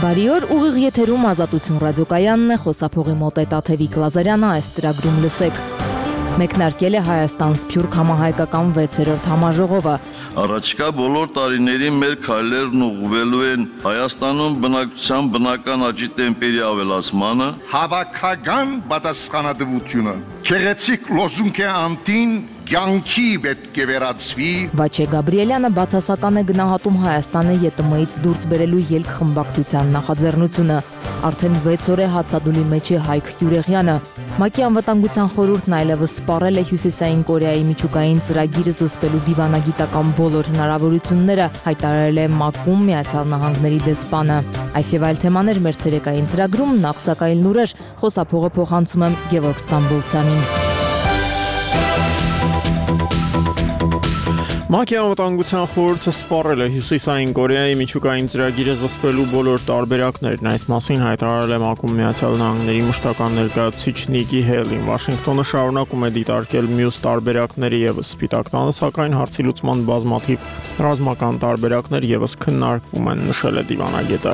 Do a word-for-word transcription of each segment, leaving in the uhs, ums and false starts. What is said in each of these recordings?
Բարի օր, ուղիղ եթերում Ազատություն ռադիոկայանն է, խոսափողի մոտ է Տաթևիկ Լազարյանը, այս ծրագրում լսեք։ Մեկնարկել է Հայաստան Սփյուռք համահայկական վեցերորդ համաժողովը։ Առաջիկա բոլոր տարիներին մեր քայլերն ուղղվելու են Հայաստանում բնակչության բնական աճի տեմպերի ավելացմանը, հավաքական պատասխանատվությունը, քեղեցիկ լոզունգի անտին կյանքի պետք է վերածվի։ Վաչե Գաբրիելյանը բացասական է գնահատում Հայաստանը ԵՏՄ-ից դուրս բերելու ելքխմբակցության նախաձեռնությունը։ Արդեն վեց օր է հացադուլի մեջ է Հայկ Գյուրեղյանը։ ՄԱԿ-ի անվտանգության խորհուրդն այլևս սպառել է Հյուսիսային Կորեայի միջուկային ծրագիրը զսպելու դիվանագիտական բոլոր հնարավորությունները, հայտարարել է ՄԱԿ-ում Միացյալ Նահանգների դեսպանը։ Այս եւ այլ թեմաներ մեր ցերեկային ծրագրում, նախ սակայն լուրեր, խոսափողը փոխանցում եմ Գևորգ Ստամբոլցյանին։ ՄԱԿ-ի անվտանգության խորհուրդը սպառել է Հյուսիսային Կորեայի միջուկային ծրագիրը զսպելու բոլոր տարբերակներն։ Այս մասին հայտարարել է ՄԱԿ-ում Միացյալ Նահանգների մշտական ներկայացուցիչ Նիկի Հեյլին։ Վաշինգտոնը շարունակում է դիտարկել մյուս տարբերակները եւս Սպիտակ տանը, սակայն հարցի լուծման բազմաթիվ ռազմական տարբերակներ եւս քննարկվում են, նշել է դիվանագետը։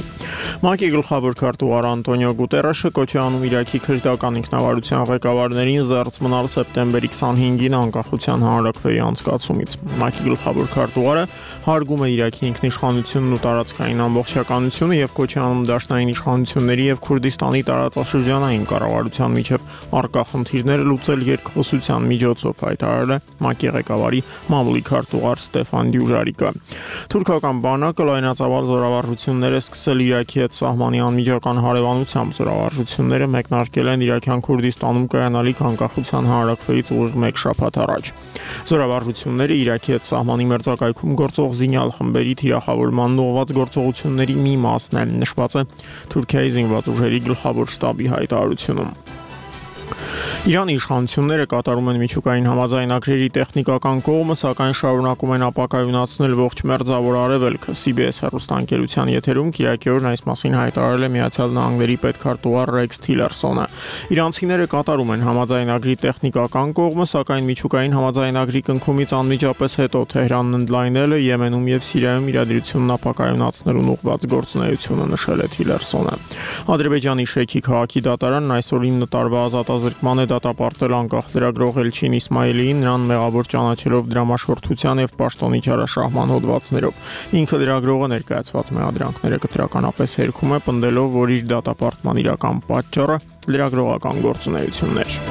ՄԱԿ-ի գլխավոր քարտուղար Անտոնիո Գուտերեշը կոչ է անում Իրաքի քրդական ինքնավարության ղեկավարներին զերծ մնալ սեպտեմբերի քսանհինգին անկախության հանրաքվեի անցկացումից։ ՄԱԿ-ի գլխավոր քարտուղարը հարգում է Իրաքի ինքնիշխանությունն ու տարածքային ամբողջականությունը եւ կոչ է անում դաշնային իշխանությունների եւ Քուրդիստանի տարածաշրջանային կառավարության միջև առկա խնդիրները լուծել երկխոսության միջոցով, հայտարարել է ՄԱԿ-ի ղեկավարի մամուլի քարտուղար Ստեֆան Դյուժարիկը։ Թուրքական բանակը լայնածավալ զորավարժություններ է սկսել Իրաքի հետ սահմանի անմիջական հարևանությամբ։ Զորավարժությունները մեկնարկել են Իրաքյան Քուրդիստանում կայանալիք անկախության հանրաքվեից ուղիղ մեկ շաբաթ առաջ։ Զորավարժությունները Իրաքի հետ սահմանի մերձակայքում գործող զինյալ խմբերի թիրախավորման ուղղված գործողությունների մի մասն է, նշված է Թուրքիայի զինված ուժերի գլխավոր շտաբի հայտարարությունում։ Իրանի իշխանությունները կատարում են միջուկային համաձայնագրերի տեխնիկական կողմը, սակայն շարունակում են ապակայունացնել ողջ մերձավոր արևելքը։ Սի Բի Էս հեռուստաընկերության եթերում Կիրակի օրն այս մասին հայտարարել է Միացյալ Նահանգների պետքարտուղար Ռեքս Թիլերսոնը։ Իրանցիները կատարում են համաձայնագրի տեխնիկական կողմը, սակայն միջուկային համաձայնագրի կնքումից անմիջապես հետո Թեհրանն ընդլայնել է Եմենում եւ Սիրիայում իրադրությունն ապակայունացնելուն ուղղված գործունեությունը, նշել է Թիլերսոնը։ Ադրբեջանի Շեքի քաղաքի դատարանն այսօր ինը տարվա ազատազրկման է դատապարտել անկախ լրագրող Էլչին Իսմայելիին, նրան մեղավոր ճանաչելով դրամաշորթության եւ պաշտոնի չարաշահման հոդվածներով։ Ինքը լրագրողը ներկայացված մեղադրանքները կտրականապես հերքում է, պնդելով, որ իր դատապարտման իրական պատճառը լրագրողական գործունեությունն էր։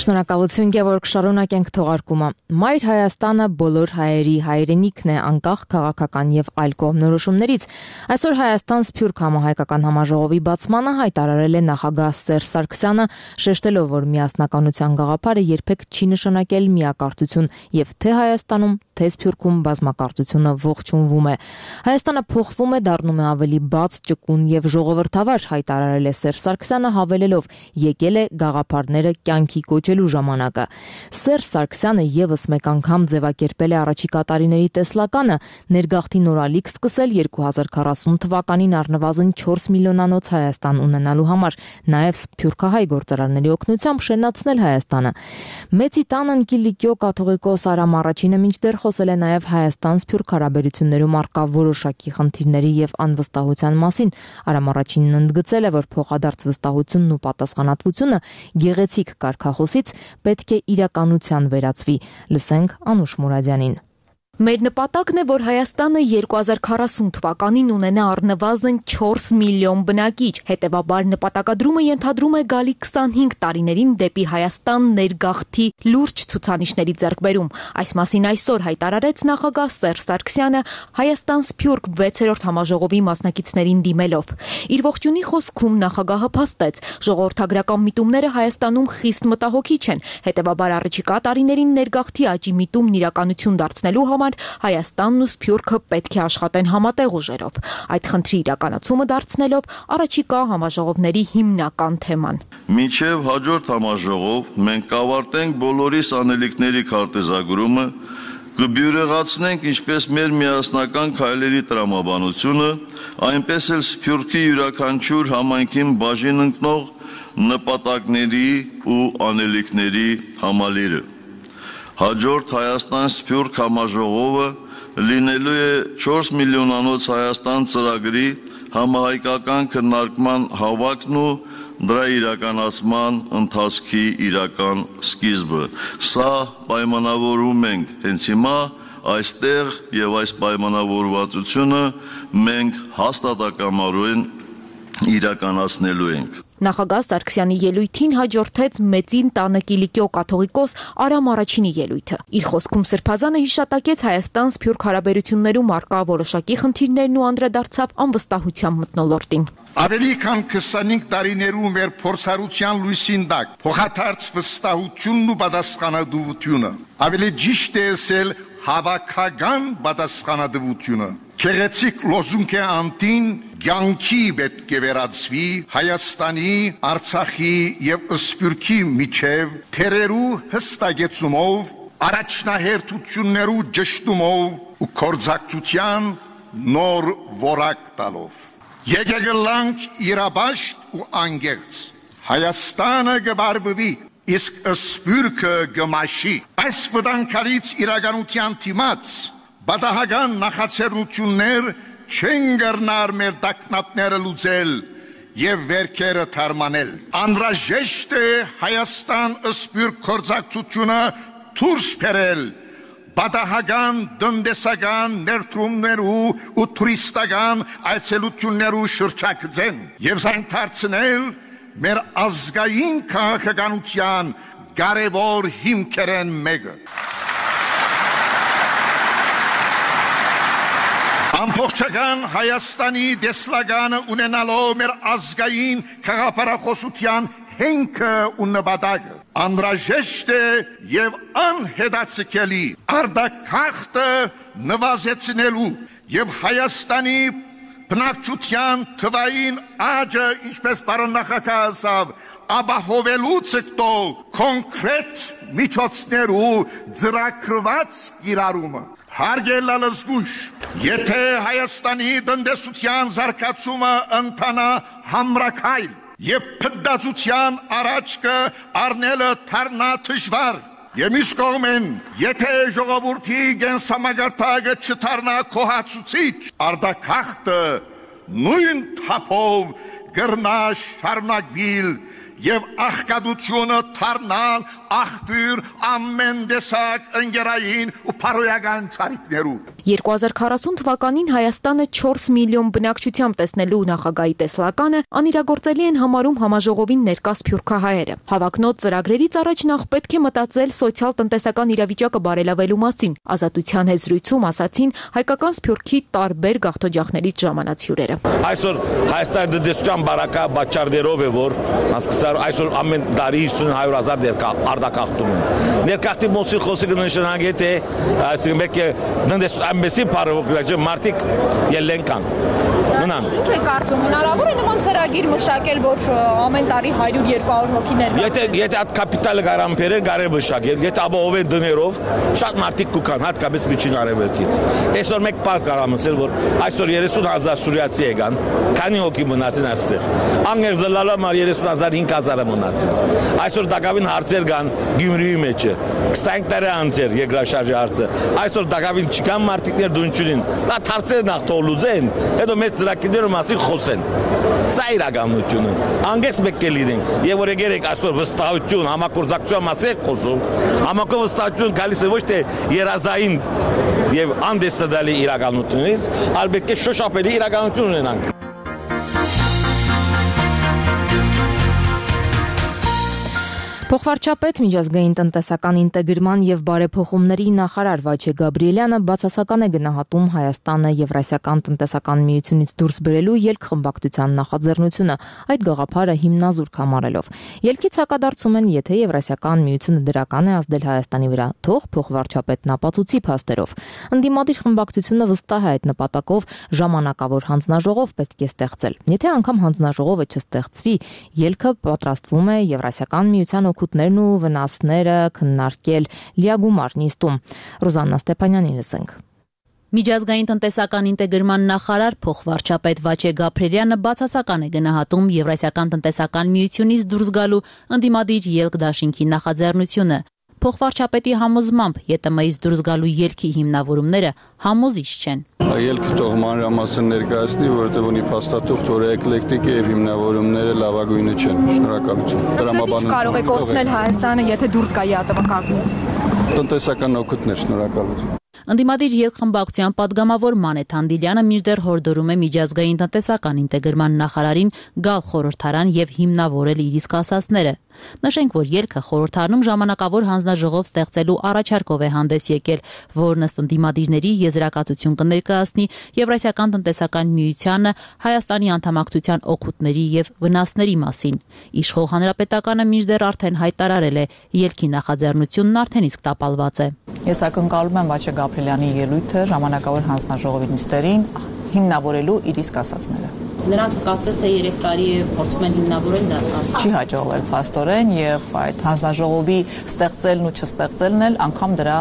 Շնորհակալություն Գևորգ, շարունակենք թողարկումը։ Մայր Հայաստանը բոլոր հայերի հայրենիքն է, անկախ քաղաքական եւ այլ կողմնորոշումներից։ Այսօր Հայաստան Սփյուռք համահայկական համաժողովի բացմանը հայտարարել է նախագահ Սերժ Սարգսյանը, շեշտելով, որ միասնականության գաղափարը երբեք չի նշանակել միակարծություն եւ թե Հայաստանում, թե Սփյուռքում բազմակարծությունը ողջունվում է։ Հայաստանը փոխվում է, դառնում է ավելի բաց, ճկուն եւ ժողովրդավար, հայտարարել է Սերժ Սարգսյանը, հավելելով, եկել է գաղափարները կյանքի կոչելու ժամանակը։ Սերժ Սարգսյանը եւս մեկ անգամ ձևակերպել է առաջիկա տարիների տեսլականը, ներգաղթի նորալիք սկսել երկու հազար քառասուն թվականին առնվազն չորս միլիոնանոց Հայաստան ունենալու համար, նաեւ սփյուռքահայ գործարանների օգնությամբ շենացնել Հայաստանը։ Մեծի տանն Կիլիկիո կաթողիկոս Արամ Առաջինը մինչդեռ խոսել է նաեւ Հայաստան-Սփյուռք հարաբերություններում առկա որոշակի խնդիրների եւ անվստահության մասին։ Արամ Առաջինն ընդգծել է, որ փոխադարձ վստահությունն ու պատասխանատվությունը գեղեցիկ կարգախոսից պետք է իրականության վերածվի։ Լսենք Անուշ Մուրադյանին։ Մեր նպատակն է, որ Հայաստանը երկու հազար քառասուն թվականին ունենա առնվազն չորս միլիոն բնակիչ, հետևաբար նպատակադրումը ենթադրում է գալի քսանհինգ տարիներին դեպի Հայաստան ներգաղթի լուրջ ցուցանիշների ձեռքբերում։ Այս մասին այսօր հայտարարեց նախագահ Սերժ Սարգսյանը Հայաստան-Սփյուռք վեցերորդ համաժողովի մասնակիցներին դիմելով։ Իր ողջունի խոսքում նախագահը փաստեց, ժողովրդագրական միտումները Հայաստանում խիստ մտահոգիչ են, հետևաբար առաջիկա տարիներին ներգաղթի աճի միտումն իրականություն դարձնելու համար Հայաստանն ու Սփյուռքը պետք է աշխատեն համատեղ ուժերով։ Այդ խնդրի իրականացումը դարձնելով առաջիկա համաժողովների հիմնական թեման։ Մինչև հաջորդ համաժողով մենք կավարտենք բոլորիս անելիքների քարտեզագրումը, Կբյուրեղացնենք ինչպես մեր միասնական քայլերի տրամաբանությունը, այնպես էլ Սփյուռքի յուրաքանչյուր համայնքին բաժին ընկնող նպատակների ու անելիքների համալիրը։ Հաջորդ Հայաստան-Սփյուռք համաժողովը լինելու է չորս միլիոնանոց Հայաստան ծրագրի համահայկական քննարկման հավաքն ու դրա իրականացման ընթացքի իրական սկիզբը։ Սա պայմանավորում ենք հենց հիմա այստեղ եւ այս պայմանավորվածությունը մենք հաստատակամարույն իրականացնելու ենք։ Նախագահ Սարգսյանի ելույթին հաջորդեց Մեծին տանը Կիլիկիո կաթողիկոս Արամ Առաջինի ելույթը։ Իր խոսքում Սրբազանը հիշատակեց Հայաստան-Սփյուռք հարաբերություններում առկա որոշակի խնդիրներն ու անդրադարձավ անվստահության մթնոլորտին։ Ավելի քան քսանհինգ տարիներու մեր փորձառության լույսին տակ փոխադարձ վստահությունն ու պատասխանատվությունը, ավելի ճիշտ է ասել հավաքական պատասխանատվությունը, քեղեցիկ լոզունգի անտին ցանկի պետք է վերածվի Հայաստանի, Արցախի եւ Սփյուռքի միջև թերերու հստակեցումով, առաջնահերթություններու ճշտումով ու կորձակցության նոր որակ տալով։ Եկեք լանք իրաբաշտ ու անգերց, Հայաստանը գբարբվի, իսկ Սփյուռքը գմաշի։ Այս վտանգալից իրականության դիմաց բադահական նախաձեռնություններ չեն գռնար մեր տակնապները լուծել եւ վերքերը թարմանել։ Անհրաժեշտ է Հայաստան-Սփյուռք կորձակցությունը դուրս բերել բադահական դնդեսական ներդրումներու ու տուրիստական այցելություններու շրջակցեն եւ զայն դարձնել մեր ազգային քաղաքականության կարևոր հիմքերեն մեկը։ Ամբողջական Հայաստանի դեսլագանը ունենալով մեր ազգային քաղաքապարախոսության հենքը ու նպատակը անհրաժեշտ է եւ անհետացկելի արդակախտը նվազեցնելու եւ Հայաստանի բնակչության թվային աճը, ինչպես պարոն նախագահ ասավ, ապահովելու ցկտող կոնկրետ միջոցներու ծրագրված կիրառումը։ Հարգելի զգույշ, եթե Հայաստանի տնտեսության զարգացումը ընթանա համրաքայլ եւ փդացության առաջքը առնելը թարնա դժվար, եւ մյուս կողմեն, եթե ժողովրդի գենսամագարտակը չթարնա կոհացուցիչ, արդակախտը նույն թափով գրնա շարունակվել եւ աղքատությունը թարնալ աղբյուր ամեն տեսակ ընկերային ու փարոյական ճարիքներու։ երկու հազար քառասուն թվականին Հայաստանը չորս միլիոն բնակչությամբ տեսնելու նախագահի տեսլականը անիրագործելի են համարում համաժողովին ներկա սփյուռքահայերը։ Հավակնոտ ծրագրերից առաջ նախ պետք է մտածել սոցիալ-տնտեսական իրավիճակը բարելավելու մասին։ Ազատության հեզրույցում ասացին հայկական սփյուռքի տարբեր գաղթօջախներից ժամանած հյուրերը։ Այսօր Հայաստանի տնտեսության բարակա բաճարներով է, որ հասկացար այսօր ամեն տարի հիսուն հարյուր հազար ներկա արդակախտում են։ Ներկախտի մոսի խոսքը նշանակե թե այսինքն մեկ է տնտեսության Messi paravoklacı Martik Yellenkan. Մնան։ Ինչ է կարծում, հնարավոր է նման ծրագիր մշակել, որ ամեն տարի հարյուր երկու հոգիներ։ Եթե եթե այդ կապիտալը կարան բերել, կարելի մշակել, եթե ապահովեն դներով, շատ մարդիկ կուքան, հատկապես միջին արևելքից։ Այսօր մեկ բան կարամ ասել, որ այսօր երեսուն հազար սուրիացի եկան, քանի հոգի մնացին այստեղ։ Անգեր զլալա մար երեսուն հազար հինգ հազարը մնացին։ Այսօր դակավին հարցեր կան Գյումրիի մեջը, քսանհինգ տարի անցեր երկրաշարժի հարցը։ Այսօր դակավին չկան մարդիկներ դունչունին։ Դա հարցերը նախ թողլուծեն, հետո մեծ ծրագիրներում ասի խոսեն։ Սա իրականությունը։ Անգես մեկ է լինենք։ Եվ որ եկեք այսօր վստահություն, համագործակցություն մասը խոսում։ Համակո վստահություն գալիս է ոչ թե երազային եւ անդեսադալի իրականությունից, այլ պետք է շոշափելի իրականություն ունենանք։ Փոխվարչապետ միջազգային տնտեսական ինտեգրման եւ բարեփոխումների նախարար Վաչե Գաբրիելյանը բացասական է գնահատում Հայաստանը Եվրասիական տնտեսական միությունից դուրս բերելու ելքխմբակցության նախաձեռնությունը, այդ գաղափարը հիմնազուրկ համարելով։ Ելքից հակադարձում են, եթե Եվրասիական միությունը դրական է ազդել Հայաստանի վրա, թող փոխվարչապետն ապացուցի փաստերով։ Ընդդիմադիր խմբակցությունը վստահ է այդ նպատակով ժամանակավոր հանձնաժողով պետք է ստեղծել։ Եթե անգամ հանձնաժողովը չստեղծվի, ելքը պատրաստվում է Եվրասիական միության օգուտներն ու վնասները քննարկել լիագումար նիստում։ Ռոզաննա Ստեփանյանին լսենք։ Միջազգային տնտեսական ինտեգրման նախարար փոխվարչապետ Վաչե Գաբրելյանը բացասական է գնահատում Եվրասիական տնտեսական միությունից դուրս գալու ընդդիմադիր ելք դաշինքի նախաձեռնությունը։ Փոխվարչապետի համոզմամբ ԵՏՄ-ից դուրս գալու ելքի հիմնավորումները համոզիչ չեն։ Ելքը թող մանրամասն ներկայացնի, որովհետև ունի փաստաթուղթ, որը էկլեկտիկ է եւ հիմնավորումները լավագույնը չեն։ Շնորհակալություն։ Դրամաբանություն կարող է կորցնել Հայաստանը, եթե դուրս գա ԵԱՏՄ կազմից։ Տնտեսական օգուտներ, շնորհակալություն։ Ընդդիմադիր ելքխմբակցության падգամավոր Մանեթ Հանդիլյանը մինչդեռ հորդորում է միջազգային տնտեսական ինտեգրման նախարարին գալ խորհրդարան եւ հիմնավորել իր իսկ ասածները։ Նշենք, որ ելքը խորհրդարանում ժամանակավոր հանձնաժողով ստեղծելու առաջարկով է հանդես եկել, որն ըստ ընդդիմադիրների եզրակացություն կներկայացնի Եվրասիական տնտեսական միությանը Հայաստանի անդամակցության օգուտների եւ վնասների մասին։ Իշխող հանրապետականը մինչդեռ արդեն հայտարարել է, ելքի նախաձեռնությունն արդեն իսկ տապալված է։ Ես ակնկալում եմ Վաչե Գաբրելյանի ելույթը ժամանակավոր հանձնաժողովի նիստերին հիմնավորելու իր իսկ ասածները։ Նրանք կարծես թե երեք տարի է փորձում են հիմնավորել դա։ Չի հաջողվել փաստորեն եւ այդ հանձնաժողովի ստեղծելն ու չստեղծելն էլ անգամ դրա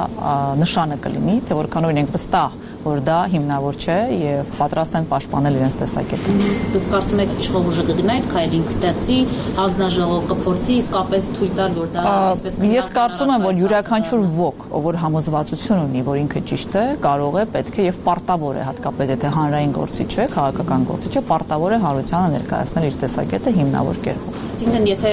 նշանը կլինի, թե որքան օրինակ վստահ որ դա հիմնավոր չէ եւ պատրաստ են պաշտպանել իրենց տեսակետը։ Դուք կարծում եք իշխող ուժը կգնա այդ քայլին կստեղծի, հանձնաժողով կփորձի իսկապես թույլ տալ, որ դա այսպես կնա։ Ես կարծում եմ, որ յուրաքանչյուր ոք, որ համոզվածություն ունի, որ ինքը ճիշտ է, կարող է, պետք է եւ պարտավոր է, հատկապես եթե հանրային գործիչ է, քաղաքական գործիչ է, պարտավոր է հանրությանը ներկայացնել իր տեսակետը հիմնավոր կերպով։ Այսինքն, եթե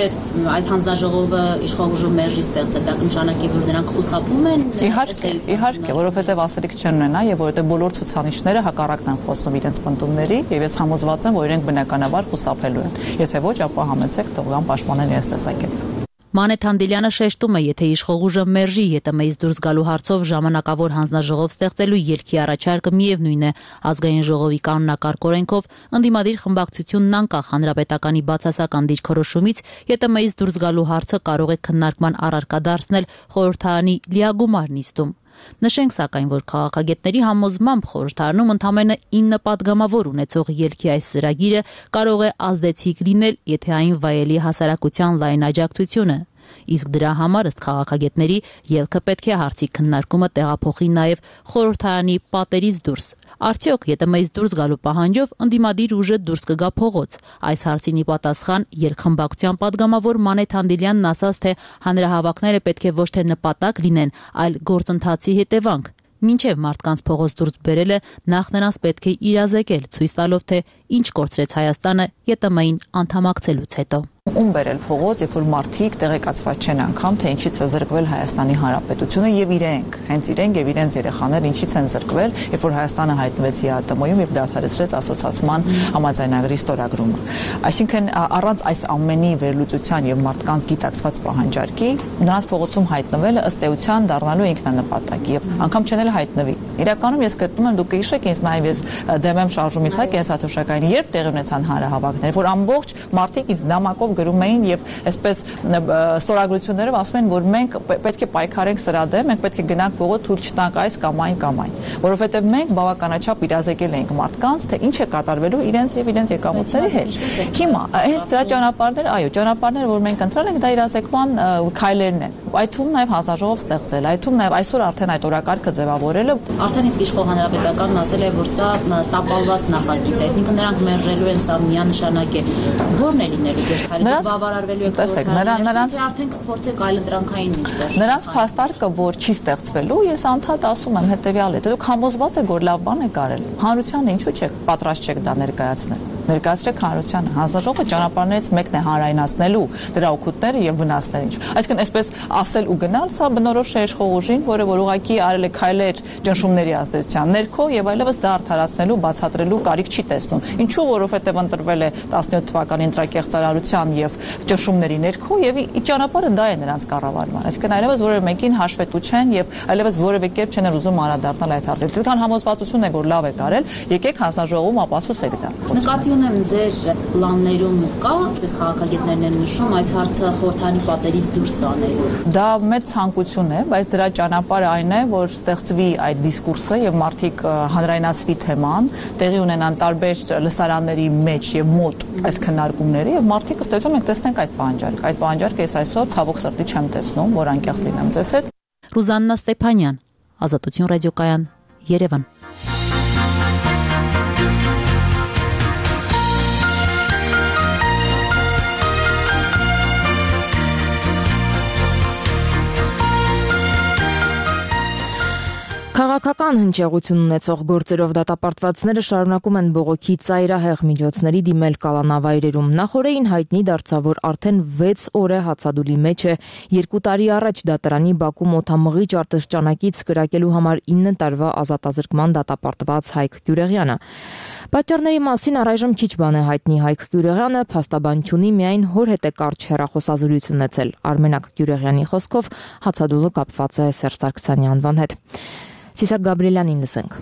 այդ հանձնաժողովը իշխող ուժը մերժի ստեղծել, դա կնշանակի, որ նրանք խուսափում են։ Իհարկե, իհարկե, որովհետեւ ասելիք չեն ունենա եւ որովհետեւ բոլոր ցուցանիշները հակառակն են խոսում իրենց պնդումների եւ ես համոզված եմ, որ իրենք բնականաբար խուսափելու են։ Եթե ոչ, ապա համեցեք թող գան պաշտպանեն իրենց տեսակետը։ Մանեթ Հանդիլյանը շեշտում է, եթե իշխող ուժը մերժի ԵՏՄ-ից դուրս գալու հարցով ժամանակավոր հանձնաժողով ստեղծելու ելքի առաջարկը միևնույն է ազգային ժողովի կանոնակարգ օրենքով ընդդիմադիր խմբակցությունն անկախ հանրապետականի բացասական դիրքորոշումից ԵՏՄ-ից դուրս գալու հարցը կարող է քննարկման առարկա դարձնել խորհրդարանի լիագումար նիստում։ Նշենք սակայն, որ քաղաքագետների համոզմամբ խորհրդարանում ընդամենը ինը падգամավոր ունեցող ելքի այս ծրագիրը կարող է ազդեցիկ լինել, եթե այն վայելի հասարակության լայն աջակցությունը։ Իսկ դրա համար ըստ քաղաքագետների ելքը պետք է հարցի քննարկումը տեղափոխի նաև խորհրդարանի պատերից դուրս։ Արդյոք ԵՏՄ-ից դուրս գալու պահանջով ընդդիմադիր ուժը դուրս կգա փողոց։ Այս հարցին ի պատասխան ելքխմբակցության падգամավոր Մանեթ Հանդիլյանն ասաց, թե հանրահավաքները պետք է ոչ թե նպատակ լինեն, այլ գործընթացի հետևանք։ Մինչև մարդկանց փողոց դուրս բերելը նախ նրանց պետք է իրազեկել, ցույց տալով, թե ինչ կորցրեց Հայաստանը ԵՏՄ-ին անդամակցելուց հետո։ Ում բերել փողոց, երբ որ մարդիկ տեղեկացված չեն անգամ, թե ինչից է զրկվել Հայաստանի Հանրապետությունը եւ իրենք, հենց իրենք եւ իրենց երեխաները ինչից են զրկվել, երբ որ Հայաստանը հայտնվեց ԵԱՏՄ-ում եւ դադարեցրեց ասոցիացման համաձայնագրի ստորագրումը։ Այսինքն առանց այս ամենի վերլուծության եւ մարդկանց գիտակցված պահանջարկի նրանց փողոցում հայտնվելը ըստ էության դառնալու ինքնանպատակ եւ անգամ չեն էլ հայտնվի։ Իրականում ես գտնում եմ, դուք կհիշեք, ինձ նաեւ ես դեմ եմ շարժումի թակ կենսաթոշակային, երբ տեղի ունեցան հանրահավաքներ, որ ամբողջ մարդիկ ինձ նամակով գրում էին եւ այսպես ստորագրություններով ասում են, որ մենք պետք է պայքարենք սրա դեմ, մենք պետք է գնանք փողոց, թույլ չտանք այս կամ այն կամ այն, որովհետեւ մենք բավականաչափ իրազեկել ենք մարդկանց, թե ինչ է կատարվելու իրենց եւ իրենց եկամուտների հետ։ Հիմա հենց դրա ճանապարհները, այո, ճանապարհները, որ մենք ընտրել ենք, դա իրազեկման քայլերն են։ Այդ թվում նաեւ հանձնաժողով ստեղծել, այդ թվում նաեւ այսօր արդեն այդ օրակարգը ձևավորելը արդեն իսկ իշխող հանրապետականն ասել է, որ սա տապալված նախագիծ է, այսինքն նրանք մերժելու են, սա միանշանակ է։ Որն է լինելու ձեր քայլը բավարարվելու եք տեսեք, նրանց արդեն կփորձեք այլընտրանքային ինչ-որ։ Նրանց փաստարկը, որ չի ստեղծվելու, ես անդադ ասում եմ հետեւյալը, դուք համոզված եք, որ լավ բան է կարել։ Հանրությանը ինչու՞ չեք պատրաստ չեք դա ներկայացնել։ Ներկայացրեք հանրությանը։ Հանձնաժողովը ճանապարհներից մեկն է հանրայնացնելու դրա օգուտները եւ վնասները։ Այսինքն այսպես ասել ու գնալ, սա բնորոշ է իշխող ուժին, որը որ ուղղակի արել է քայլեր ճնշումների ազդեցության ներքո եւ այլևս դա արդարացնելու, բացատրելու կարիք չի տեսնում։ Ինչու, որովհետեւ ընտրվել է տասնյոթ թվականի ընտրակեղծարարության եւ ճնշումների ներքո եւ ճանապարհը դա է նրանց կառավարման։ Այսինքն այլևս որևէ մեկին հաշվետու չեն եւ այլևս որևէ կերպ չեն ուզում անդրադառնալ այդ հարցին։ Դուքան համոզվածություն եք, որ լավ եք արել, եկեք հանձնաժողովում ապացուցեք դա։ Նկատի ունեմ ձեր պլաններում կա, ինչպես քաղաքագետներն են նշում, այս հարցը խորհրդանի պատերից դուրս տանելու։ Դա մեծ ցանկություն է, բայց դրա ճանապարհը այն է, որ ստեղծվի այդ դիսկուրսը եւ մարդիկ հանրայնացվի թեման, տեղի ունենան տարբեր լսարանների մեջ եւ մոտ այս քննարկումները եւ մարդիկ ըստ էության մենք տեսնենք այդ պահանջարկը։ Այդ պահանջարկը ես այսօր ցավոք սրտի չեմ տեսնում, որ անկեղծ լինեմ ձեզ հետ։ Ռուզաննա Ստեփանյան, Ազատություն ռադիոկայան, Երևան։ Քաղաքական հնչեղություն ունեցող գործերով դատապարտվածները շարունակում են բողոքի ծայրահեղ միջոցների դիմել կալանավայրերում։ Նախորդին հայտնի դարձավ, որ արդեն վեց օր է հացադուլի մեջ է երկու տարի առաջ դատարանի Բաքու մոթամղիչ արտասճանակից կրակելու համար ինը տարվա ազատազրկման դատապարտված Հայկ Գյուրեղյանը։ Պատճառների մասին առայժմ քիչ բան է հայտնի։ Հայկ Գյուրեղյանը փաստաբան չունի, միայն հոր հետ է կարճ հեռախոսազրույց ունեցել։ Արմենակ Գյուրեղյանի խոսքով հացադուլը կապված է Սերժ Սարգսյանի անվան հետ։ Սիսակ Գաբրիելյանին լսենք։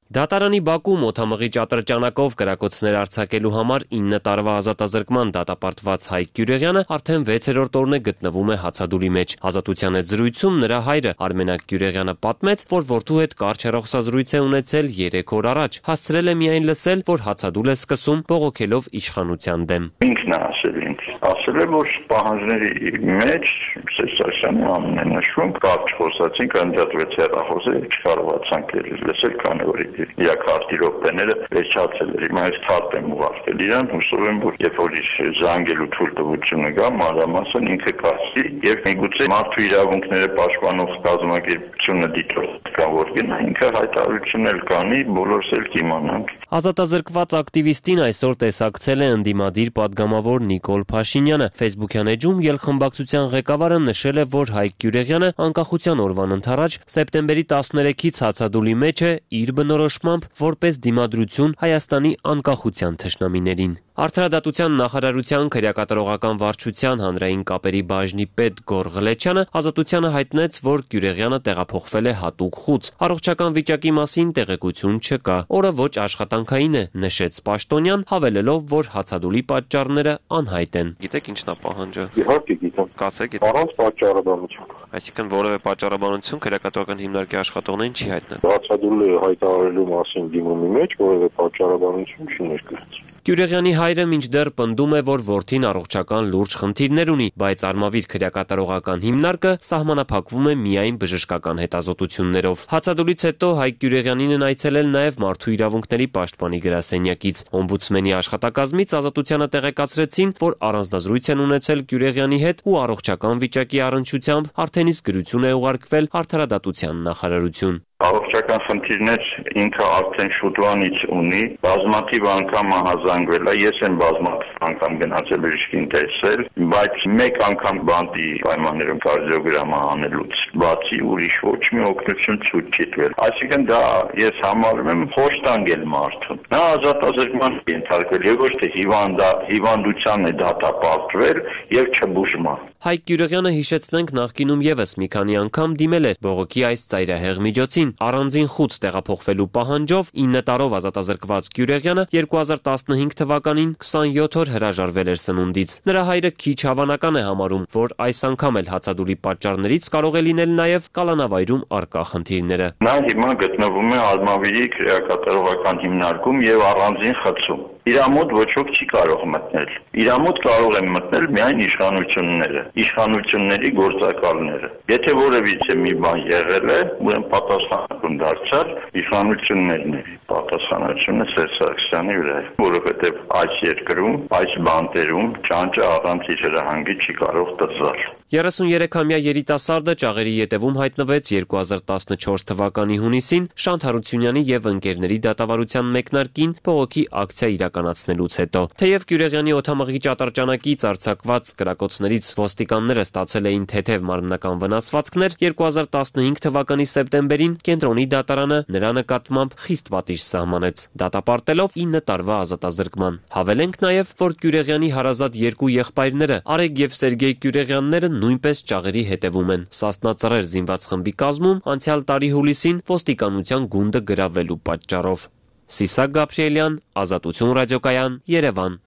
Դատարանի Բաքու մոթամղիչ ատրճանակով կրակոցներ արձակելու համար ինը տարվա ազատազրկման դատապարտված Հայկ Գյուրեղյանը արդեն վեցերորդ օրն է գտնվում է հացադուլի մեջ։ Ազատության հետ զրույցում նրա հայրը Արմենակ Գյուրեղյանը պատմեց, որ որդու հետ կարճ հեռախոսազրույց է ունեցել երեք օր առաջ։ Հասցրել է միայն լսել, որ հացադուլ է սկսում բողոքելով իշխանության դեմ։ Ինքն է ասել ինձ, ասել է, որ պահանջների մեջ Սերժ Սարգսյանի անունն է նշվում, կարճ խոսացինք, ընդդատվեց հեռախոսը, չկարողացանք լսել, քանի որ իր քարտի րոպեները վերջացել էր։ Հիմա այս քարտ եմ ուղարկել իրան, հուսով եմ, որ երբ որ զանգելու թույլտվությունը գա, մանրամասն ինքը կասի եւ միգուցե մարդու իրավունքները պաշտպանող կազմակերպությունը դիտորդ կա, որ գնա ինքը հայտարարություն էլ կանի, բոլորս էլ կիմանանք։ Ազատազրկված ակտիվիստին այսօր տեսակցել է ընդդիմադիր падգամավոր Նիկոլ Փաշինյանը։ Facebook-յան էջում ելխմբակցության ղեկավարը նշել է, որ Հայկ Գյուրեղյանը անկախության օրվան ընթരാճ սեպտեմբերի տասներեքից հացադուլի մեջ է իր բնորոշմամբ որպես դիմադրություն Հայաստանի անկախության թշնամիներին։ Արդարադատության նախարարության քրեակատարողական վարչության հանրային կապերի բաժնի պետ Գոր Ղլեչյանը Ազատությանը հայտնեց, որ Գյուրեղյանը տեղափոխվել է հատուկ խուց։ Առողջական վիճակի մասին տեղեկություն չկա։ Օրը ոչ աշխատանքային է, նշեց Պաշտոնյան, հավելելով, որ հացադուլի պատճառները անհայտ են։ Գիտեք ինչն է պահանջը։ Իհարկե գիտեմ։ Կասեք, առանց պատճառաբանություն։ Այսինքն որևէ պատճառաբանություն քրեակատարական հիմնարկի աշխատողներին չի հայտնել։ Հացադուլը հայտարարելու մասին դիմումի մեջ որևէ պատճառաբանություն չի ներկայացվել։ Գյուրեղյանի հայրը մինչդեռ պնդում է, որ որդին առողջական լուրջ խնդիրներ ունի, բայց Արմավիր քրեակատարողական հիմնարկը սահմանափակվում է միայն բժշկական հետազոտություններով։ Հացադուլից հետո Հայկ Գյուրեղյանին են այցելել նաև Մարդու իրավունքների պաշտպանի գրասենյակից։ Օմբուդսմենի աշխատակազմից Ազատությանը տեղեկացրեցին, որ առանձնազրույց են ունեցել Գյուրեղյանի հետ ու առողջական վիճակի առնչությամբ արդեն իսկ գրություն է ուղարկվել Արդարադատության նախարարություն։ Առողջական խնդիրներ ինքը արդեն շուտվանից ունի, բազմաթիվ անգամ ահազանգվել է, ես եմ բազմաթիվ անգամ գնացել բժշկին տեսել, բայց մեկ անգամ բանտի պայմաններում կարդիոգրամա անելուց բացի ուրիշ ոչ մի օգնություն ցույց չի տվել։ Այսինքն դա ես համարում եմ խոշտանգել մարդուն։ Նա ազատազրկման ենթարկվել եւ ոչ թե հիվանդա հիվանդության է դատապարտվել եւ չբուժման։ Հայկ Գյուրեղյանը հիշեցնենք նախկինում եւս մի քանի անգամ դիմել էր բողոքի այս ծայրահեղ միջոցին։ Առանձին խուց տեղափոխվելու պահանջով ինը տարով ազատազրկված Գյուրեղյանը երկու հազար տասնհինգ թվականին քսանյոթ օր հրաժարվել էր սնունդից։ Նրա հայրը քիչ հավանական է համարում, որ այս անգամ էլ հացադուլի պատճառներից կարող է լինել նաև կալանավայրում առկա խնդիրները։ Նա հիմա գտնվում է Արմավիրի քրեակատարողական հիմնարկում եւ առանձին խցում։ Իրամոտ ոչ ոք չի կարող մտնել։ Իրամոտ կարող են մտնել միայն իշխանությունները, իշխանությունների գործակալները։ Եթե որևիցե մի բան եղել է, ուրեմն պատասխանատուն դարձյալ իշխանություններն են։ Պատասխանատվությունը Սերժ Սարգսյանի վրա է, որովհետև այս երկրում, այս բանտերում ճանճը առանց իր հրահանգի չի կարող տծալ։ երեսուներեքամյա երիտասարդը ճաղերի ետևում հայտնվեց երկու հազար տասնչորս թվականի հունիսին Շանթ Հարությունյանի եւ ընկերների դատավարության մեկնարկին բողոքի ակցիա իրականացնելուց հետո։ Թեև Գյուրեղյանի օդամղիչ ատրճանակից արձակված կրակոցներից ոստիկանները ստացել էին թեթև մարմնական վնասվածքներ, երկու հազար տասնհինգ թվականի սեպտեմբերին կենտրոնի դատարանը նրա նկատմամբ խիստ պատիժ սահմանեց, դատապարտելով ինը տարվա ազատազրկման։ Հավելենք նաև, որ Գյուրեղյանի հարազատ երկու եղբայրները Արեգ եւ Սերգեյ Գյուրեղյանները նույնպես ճաղերի հետևում են։ Սասնա Ծռեր զինված խմբի կազմում անցյալ տարի հուլիսին ոստիկանության գունդը գրավելու պատճառով։ Սիսակ Գաբրիելյան, Ազատություն ռադիոկայան, Երևան։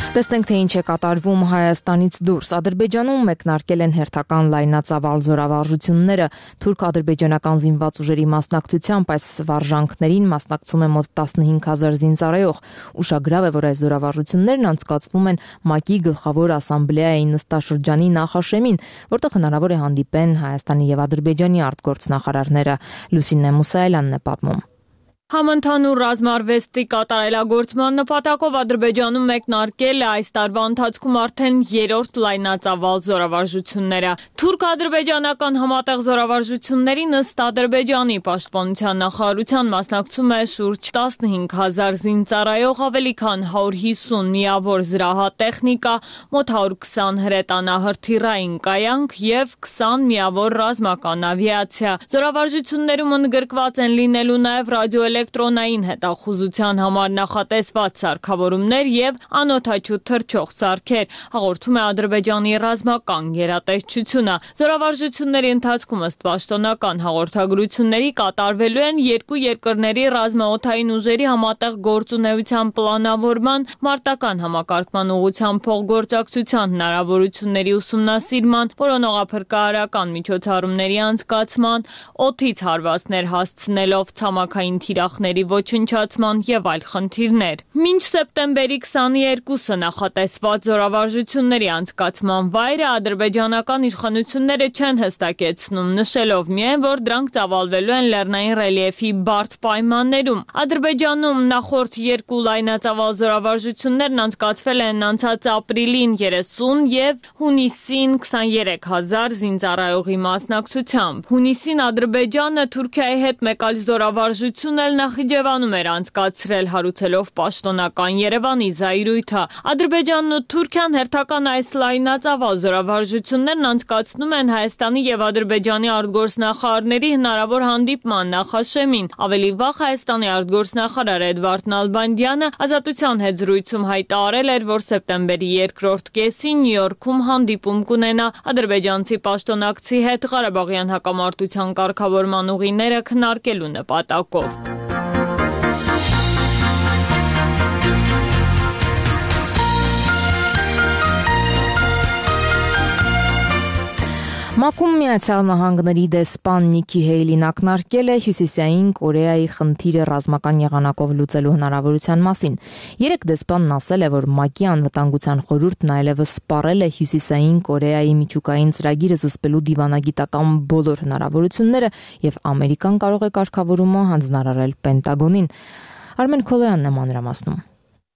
Տեսնենք, թե ինչ է կատարվում Հայաստանից դուրս։ Ադրբեջանում մեկնարկել են հերթական լայնածավալ զորավարժությունները։ Թուրք-ադրբեջանական զինված ուժերի մասնակցությամբ այս վարժանքներին մասնակցում է մոտ տասնհինգ հազար զինծառայող։ Ուշագրավ է, որ այս զորավարժություններն անցկացվում են ՄԱԿ-ի գլխավոր ասամբլեայի նստաշրջանի նախաշեմին, որտեղ հնարավոր է հանդիպեն Հայաստանի եւ Ադրբեջանի արտգործնախարարները։ Լուսինե Մուսայելյանն է պատմում։ Համընդհանուր ռազմարվեստի կատարելագործման նպատակով Ադրբեջանում մեկնարկել է այս տարվա ընթացքում արդեն երրորդ լայնածավալ զորավարժությունները։ Թուրք-ադրբեջանական համատեղ զորավարժություններին ըստ Ադրբեջանի պաշտպանության նախարարության մասնակցում է շուրջ տասնհինգ հազար զինծառայող, ավելի քան հարյուր հիսուն միավոր զրահատեխնիկա, մոտ հարյուր քսան հրետանահրթիռային կայանք եւ քսան միավոր ռազմական ավիացիա։ Զորավարժություններում ընդգրկված են լինելու նաեւ ռադիո էլեկտրոնային հետախուզության համար նախատեսված սարքավորումներ եւ անօդաչու թռչող սարքեր, հաղորդում է Ադրբեջանի ռազմական գերատեսչությունը։ Զորավարժությունների ընթացքում ըստ պաշտոնական հաղորդագրությունների կատարվելու են երկու երկրների ռազմաօդային ուժերի համատեղ գործունեության պլանավորման, մարտական համակարգման ուղղությամբ փոխգործակցության հնարավորությունների ուսումնասիրման, որոնողափրկարարական միջոցառումների անցկացման, օդից հարվածներ հասցնելով ցամաքային թիրախների ոչնչացման եւ այլ խնդիրներ։ Մինչ սեպտեմբերի քսաներկուսը նախատեսված զորավարժությունների անցկացման վայրը ադրբեջանական իշխանությունները չեն հստակեցնում, նշելով միայն, որ դրանք ծավալվելու են լեռնային ռելիեֆի բարդ պայմաններում։ Ադրբեջանում նախորդ երկու լայնածավալ զորավարժություններն անցկացվել են անցած ապրիլին երեսուն եւ հունիսին քսաներեք հազար զինծառայողի մասնակցությամբ։ Հունիսին Ադրբեջանը Թուրքիայի հետ մեկ այլ զորավարժություն էլ Նախիջևանում էր անցկացրել, հարուցելով պաշտոնական Երևանի զայրույթը։ Ադրբեջանն ու Թուրքիան հերթական այս լայնածավալ զորավարժություններն անցկացնում են Հայաստանի եւ Ադրբեջանի արտգործնախարարների հնարավոր հանդիպման նախաշեմին։ Ավելի վաղ Հայաստանի արտգործնախարար Էդվարդ Նալբանդյանը Ազատության հետ զրույցում հայտարարել էր, որ սեպտեմբերի երկրորդ կեսին Նյու Յորքում հանդիպում կունենա ադրբեջանցի պաշտոնակցի հետ Ղարաբաղյան հակամարտության կարգավորման ուղիները քննարկելու նպատակով։ ՄԱԿ-ում Միացյալ Նահանգների դեսպան Նիկի Հեյլին ակնարկել է Հյուսիսային Կորեայի խնդիրը ռազմական եղանակով լուծելու հնարավորության մասին։ Երեք դեսպանն ասել է, որ ՄԱԿ-ի անվտանգության խորհուրդն այլևս սպառել է Հյուսիսային Կորեայի միջուկային ծրագիրը զսպելու դիվանագիտական բոլոր հնարավորությունները եւ Ամերիկան կարող է կարգավորումը հանձնարարել Պենտագոնին։ Արմեն Քոլոյանն է մանրամասնում։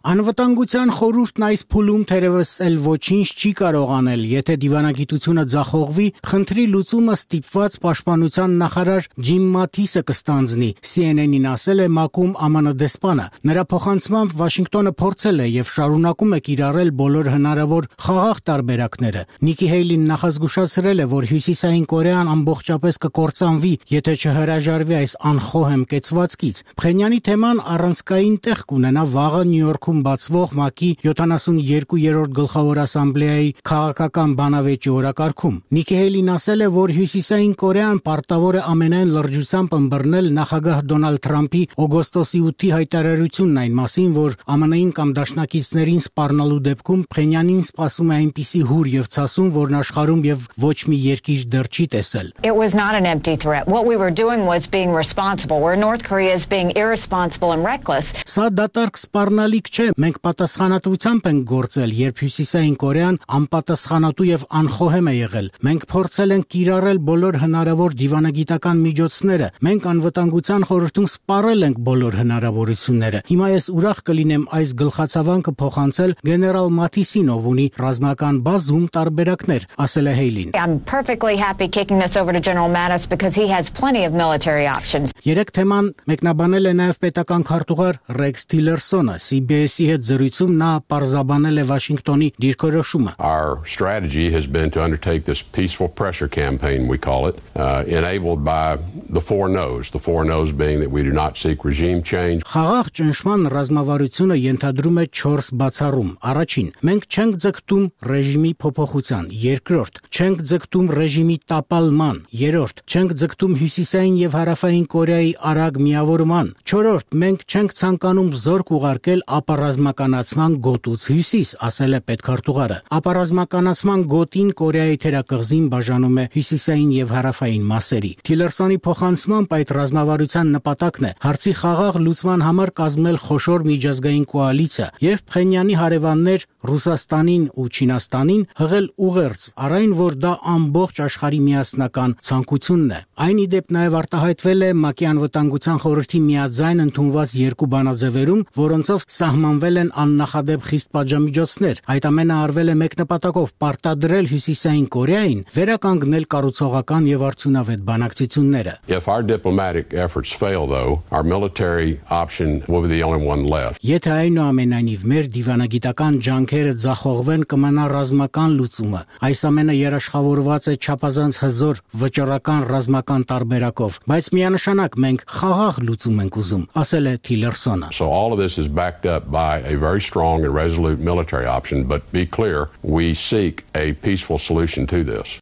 Անվտանգության խորհուրդն այս փուլում թերևս էլ ոչինչ չի կարող անել, եթե դիվանագիտությունը ձախողվի, խնդրի լուծումը ստիպված պաշտպանության նախարար Ջիմ Մաթիսը կստանձնի, C N N-ին ասել է ՄԱԿ-ում Ամն դեսպանը։ Նրա փոխանցմամբ Վաշինգտոնը փորձել է եւ շարունակում է կիրառել բոլոր հնարավոր խաղաղ տարբերակները։ Նիկի Հեյլին նախազգուշացրել է, որ Հյուսիսային Կորեան ամբողջապես կկործանվի, եթե չհրաժարվի այս անխոհեմ կեցվածքից։ Փխենյանի թեման առանցքային տեղ կունենա վաղը Նյու Յորքում բացվող ՄԱԿ-ի յոթանասունյոթերորդ գլխավոր ասամբլեայի քաղաքական բանավեճի օրակարգում։ Նիկի Հեյլին ասել է, որ Հյուսիսային Կորեան պարտավոր է ամենայն լրջությամբ ըմբռնել նախագահ Դոնալդ Թրամփի օգոստոսի ութի հայտարարությունն այն մասին, որ ԱՄՆ-ին կամ դաշնակիցներին սպառնալու դեպքում Փխենյանին սպասում է այնպիսի հուր եւ ցասում, որն աշխարհում եւ ոչ մի երկիր դեռ չի տեսել։ It was not an empty threat. What we were doing was being responsible, where North Korea is being irresponsible and reckless. Սա դատարկ սպառնալիք չէ, մենք պատասխանատվությամբ ենք գործել, երբ Հյուսիսային Կորեան անպատասխանատու եւ անխոհեմ է եղել։ Մենք փորձել ենք կիրառել բոլոր հնարավոր դիվանագիտական միջոցները։ Մենք անվտանգության խորհրդում սպառել ենք բոլոր հնարավորությունները։ Հիմա ես ուրախ կլինեմ այս գլխացավանքը փոխանցել գեներալ Մաթիսին, ով ունի ռազմական բազում տարբերակներ, ասել է Հեյլին։ I'm perfectly happy kicking this over to General Mattis because he has plenty of military options. Երեք թեման մեկնաբանել է նաև պետական քարտուղար Ռեքս Թիլերսոնը, C B S Պրեսի հետ զրույցում նա պարզաբանել է Վաշինգտոնի դիրքորոշումը. Our strategy has been to undertake this peaceful pressure campaign, we call it, uh, enabled by the four no's, the four no's being that we do not seek regime change. Խաղաղ ճնշման ռազմավարությունը ենթադրում է չորս բացառում. Առաջին, մենք չենք ձգտում ռեժիմի փոփոխության. Երկրորդ, չենք ձգտում ռեժիմի տապալման. Երրորդ, չենք ձգտում Հյուսիսային եւ Հարավային Կորեայի արագ միավորման. Չորրորդ, մենք չենք ցանկանում զորք ուղարկել ապառազմականացման գոտուց հյուսիս, ասել է պետքարտուղարը. Ապառազմականացման գոտին Կորեայի թերակղզին բաժանում է Հյուսիսային եւ Հարավային մասերի. Թիլերսոնի փոխանցմամբ այդ ռազմավարության նպատակն է հարցի խաղաղ լուծման համար կազմել խոշոր միջազգային կոալիցիա եւ Փխենյանի հարևաններ Ռուսաստանին ու Չինաստանին հղել ուղերձ, առայն որ դա ամբողջ աշխարհի միասնական ցանկությունն է. Այն ի դեպ նաեւ արտահայտվել է ՄԱԿ-ի անվտանգության խորհրդի միաձայն ընդունված երկու բանաձևերում, որոնցով սահմանվել են աննախադեպ խիստ պատժամիջոցներ. Այդ ամենը արվել է մեկ նպատակով՝ պարտադրել Հյուսիսային Կորեային վերականգնել կառուցողական եւ արդյունավետ բանակցությունները. If our diplomatic efforts fail, though, our military option will be the only one left. Եթե այնուամենայնիվ մեր դիվանագիտական ջանքերը ձախողվեն, կմնա ռազմական լուծումը. Այս ամենը երաշխավորված է չափազանց հզոր վճռական ռազմական տարբերակով, բայց միանշանակ մենք խաղաղ լուծում ենք ուզում, ասել է Թիլերսոնը. So all of this is backed up by a very strong and resolute military option, but be clear, we seek a peaceful solution to this.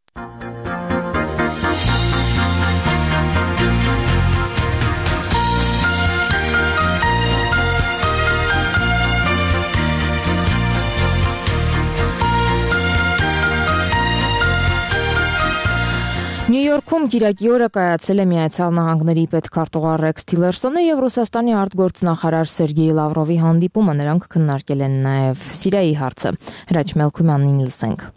Նյու Յորքում Կիրակի օրը կայացել է Միացյալ Նահանգների պետքարտուղար Ռեքս Թիլերսոնը եւ Ռուսաստանի արտգործնախարար Սերգեյ Լավրովի հանդիպումը. Նրանք քննարկել են նաեւ Սիրիայի հարցը. Հրաչ Մելքումյանին լսենք.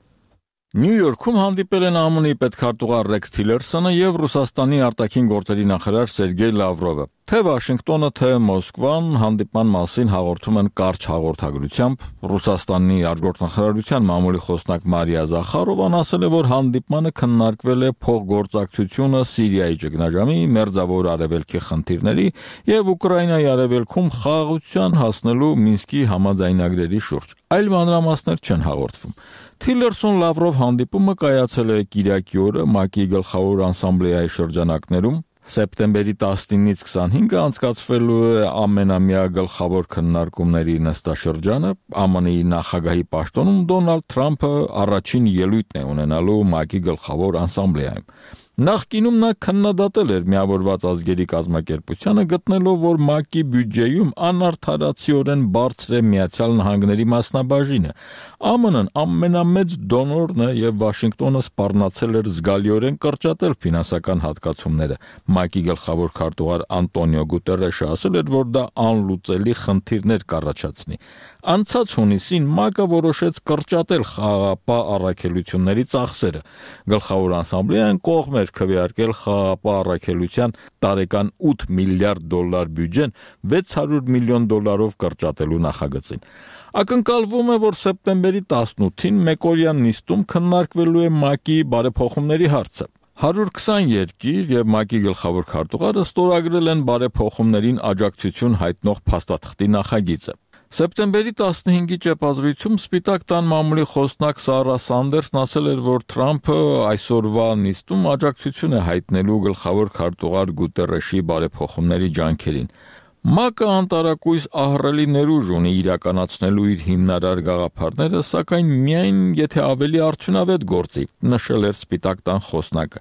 Նյու Յորքում հանդիպել են ԱՄՆ-ի պետքարտուղար Ռեքս Թիլերսոնը եւ Ռուսաստանի արտաքին գործերի նախարար Սերգեյ Լավրովը։ Թե Վաշինգտոնը, թե Մոսկվան հանդիպման մասին հաղորդում են կարճ հաղորդագրությամբ. Ռուսաստանի արտգործնախարարության մամուլի խոսնակ Մարիա Զախարովան ասել է, որ հանդիպմանը քննարկվել է փոխգործակցությունը Սիրիայի ճգնաժամի, Մերձավոր Արևելքի խնդիրների եւ Ուկրաինայի արևելքում խաղաղության հասնելու Մինսկի համաձայնագրերի շուրջ։ Այլ մանրամասներ չեն հաղորդվում։ Թիլերսոն-Լավրով հանդիպումը կայացել է Կիրակի օրը ՄԱԿ-ի գլխավոր ասամբլեայի շրջանակներում։ Սեպտեմբերի տասնինից քսանհինգը անցկացվելու է ամենամյա գլխավոր քննարկումների նստաշրջանը։ ԱՄՆ-ի նախագահի պաշտոնում Դոնալդ Թրամփը առաջին ելույթն է ունենալու ՄԱԿ-ի գլխավոր ասամբլեայում։ Նախկինում նա քննադատել էր Միավորված ազգերի կազմակերպությանը, գտնելով, որ ՄԱԿ-ի բյուջեում անարդարացիորեն բարձր է Միացյալ Նահանգների մասնաբաժինը։ ԱՄՆ-ն ամենամեծ դոնորն է եւ Վաշինգտոնը սպառնացել էր զգալիորեն կրճատել ֆինանսական հատկացումները։ ՄԱԿ-ի գլխավոր քարտուղար Անտոնիո Գուտերեշը ասել էր, որ դա անլուծելի խնդիրներ կառաջացնի։ Անցած հունիսին ՄԱԿ-ը որոշեց կրճատել խաղաղապահ առաքելությունների ծախսերը։ Գլխավոր ասամբլեան կողմ էր քվեարկել խաղաղապահ առաքելության տարեկան ութ միլիարդ դոլար բյուջեն վեց հարյուր միլիոն դոլարով կրճատելու նախագծին։ Ակնկալվում է, որ սեպտեմբերի տասնութին մեկօրյա նիստում քննարկվելու է ՄԱԿ-ի բարեփոխումների հարցը։ հարյուր քսան երկիր եւ ՄԱԿ-ի գլխավոր քարտուղարը ստորագրել են բարեփոխումներին աջակցություն հայտնող փաստաթղթի նախագիծը։ Սեպտեմբերի տասնհինգի ճեպազրույցում Սպիտակ տան մամուլի խոսնակ Սարա Սանդերսն ասել էր, որ Թրամփը այսօրվա նիստում աջակցություն է հայտնելու գլխավոր քարտուղար Գուտերեշի բարեփոխումների ջանքերին։ ՄԱԿ-ը անտարակույս ահռելի ներուժ ունի իրականացնելու իր հիմնարար գաղափարները, սակայն միայն եթե ավելի արդյունավետ գործի, նշել էր Սպիտակ տան խոսնակը։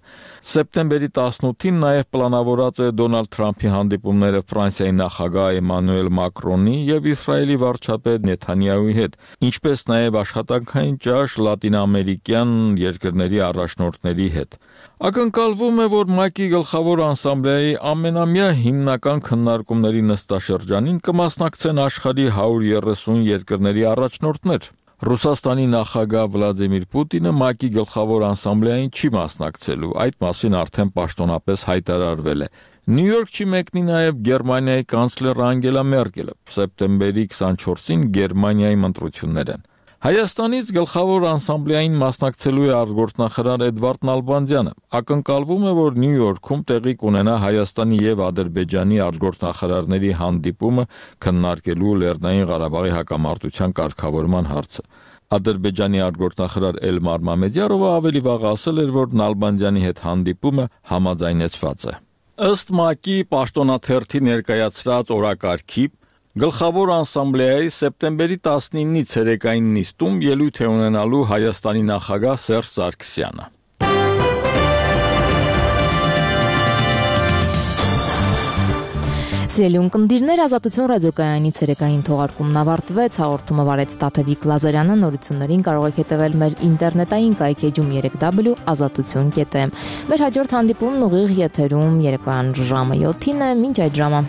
Սեպտեմբերի տասնութին նաև պլանավորած է Դոնալդ Թրամփի հանդիպումները Ֆրանսիայի նախագահ Էմանուել Մակրոնի եւ Իսրայելի վարչապետ Նեթանյահուի հետ, ինչպես նաև աշխատանքային ճաշ լատինամերիկյան երկրների առաջնորդների հետ։ Ակնկալվում է, որ ՄԱԿ-ի գլխավոր ասամբլեայի ամենամյա հիմնական քննարկումների նստաշրջանին կմասնակցեն աշխարհի հարյուր երեսուն երկրների առաջնորդներ։ Ռուսաստանի նախագահ Վլադիմիր Պուտինը ՄԱԿ-ի գլխավոր ասամբլեային չի մասնակցելու, այդ մասին արդեն պաշտոնապես հայտարարվել է։ Նյու Յորք չի մեկնի նաև Գերմանիայի կանցլեր Անգելա Մերկելը։ Սեպտեմբերի քսանչորսին Գերմանիայի ընտրություններ են։ Հայաստանից գլխավոր անսամբլեային մասնակցելու է արտգործնախարար Էդվարդ Նալբանդյանը։ Ակնկալվում է, որ Նյու Յորքում տեղի կունենա Հայաստանի եւ Ադրբեջանի արտգործնախարարների հանդիպումը քննարկելու Լեռնային Ղարաբաղի հակամարտության կարգավորման հարցը։ Ադրբեջանի արտգործնախարար Էլմար Մամեդյարովը ավելի վաղ ասել էր, որ Նալբանդյանի հետ հանդիպումը համաձայնեցված է։ Ըստ ՄԱԿ-ի պաշտոնաթերթի ներկայացրած օրակարգի Գլխավոր անսամբլեայի սեպտեմբերի տասնինի ցերեկային նիստում ելույթ է ունենալու Հայաստանի նախագահ Սերժ Սարգսյանը։ Սիրելի ունկնդիրներ, Ազատություն ռադիոկայանի ցերեկային թողարկումն ավարտվեց, հաղորդումը վարեց Տաթևիկ Լազարյանը, նորություններին կարող եք հետևել մեր ինտերնետային կայքեջում երեք w ազատություն կետ am։ Մեր հաջորդ հանդիպումն ուղիղ եթերում երեկոյան ժամը յոթին է, մինչ այդ ժամը